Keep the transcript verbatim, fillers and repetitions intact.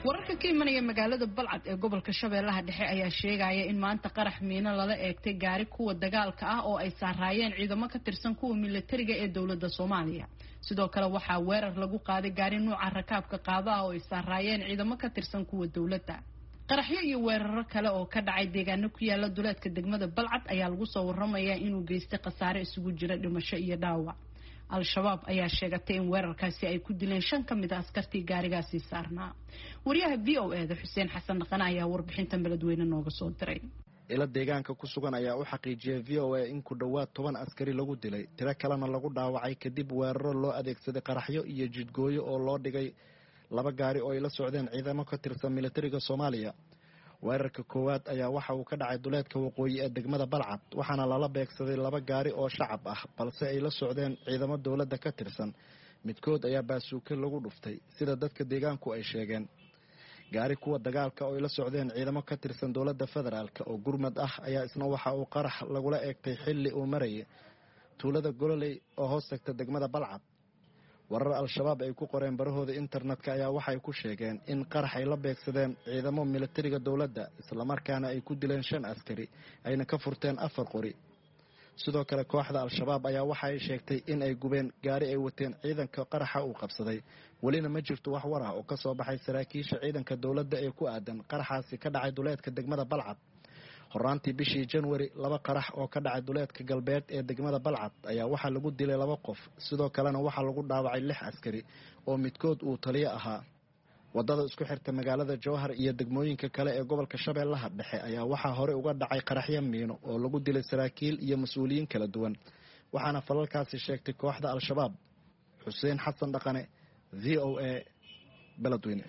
Wararka ka imanaya magaalada Balcad ee gobolka Shabeellaha Dhexe ayaa sheegaya in maanta qarax miino lala eegtay gaari kuwa dagaalka ah oo ay saaraayeen ciidamo ka tirsan kuwa militariga ee dowladda Soomaaliya. Sidoo kale waxaa weerar lagu qaaday gaari nuuca rakaabka qaado ah oo ay saaraayeen ciidamo ka tirsan kuwa dowladda. Qaraxyo iyo weeraro kale oo ka dhacay deegaano ku yaala duleedka degmada Balcad ayaa lagu soo waramayaa inuu geystay khasaare isugu jira dhimasho iyo dhaawac. Al-Shabaab ayaa sheegatay in weerarkaasi ay ku dileen shan ka mid a askartii gaarigaasi saarnaa. Wariyaha V O E da Xuseen Xasan Dhaqane ayaa warbixintan beledweyne nooga soo diray. Ilo deegaanka ku sugan ayaa u xaqiijiyay V O A in ku dhowaad toban askari lagu dilay, tiro kalena lagu dhaawacay kadib weeraro loo adeegsaday qaraxyo iyo jidgooyo oo loo dhigay laba gaari oo ay la socdeen ciidamo ka tirsan militariga Soomaaliya. Weerarka koowaad ayaa waxa uu ka dhacay duleedka waqooyi ee degmada Balcad, waxaana lala beegsaday laba gaari oo shacab ah balse ay la socdeen ciidamo dowladda ka tirsan. Midkood ayaa baasuuke lagu dhuftay sida dadka deegaanku ay sheegeen. Gaari kuwa dagaalka oo ay la socdeen ciidamo ka tirsan dowladda federaalk oo gurmad ah ayaa isna waxa uu qarax lagula eegtay xilli uu marayay tuulada Gololey oo hoos tagta degmada Balcad. Warar Al-Shabaab ay ku qoreen barahooda internetka ayaa waxay ku sheegeen in qarax ay la beegsadeen ciidamo militariga dowladda, islamarkaana ay ku dileen shan askari ayna ka furteen afar qori. Sidoo kale kooxda Al-Shabaab ayaa waxa ay sheegtay in ay gubeen gaari ay wateen ciidanka qaraxa uu qabsaday. Welina ma jirto wax war ah oo ka soo baxay saraakiisha ciidanka dowladda ee ku aadan qaraxaasi ka dhacay duleedka degmada Balcad. Horaantii bishii Janwari, laba qarax oo ka dhacay duleedka galbeed ee degmada Balcad ayaa waxaa lagu dilay laba qof, sidoo kalena waxaa lagu dhaawacay lix askari oo midkood uu taliyo ahaa. Wadada isku xirta magaalada Jowhar iyo degmooyinka kale ee gobolka Shabeellaha Dhexe ayaa waxaa hore uga dhacay qaraxyo miino oo lagu dilay saraakiil iyo mas-uuliyiin kala duwan, waxaana falalkaasi sheegtay kooxda Al-Shabaab. Xuseen Xasan Dhaqane, V O A, Beledweyne.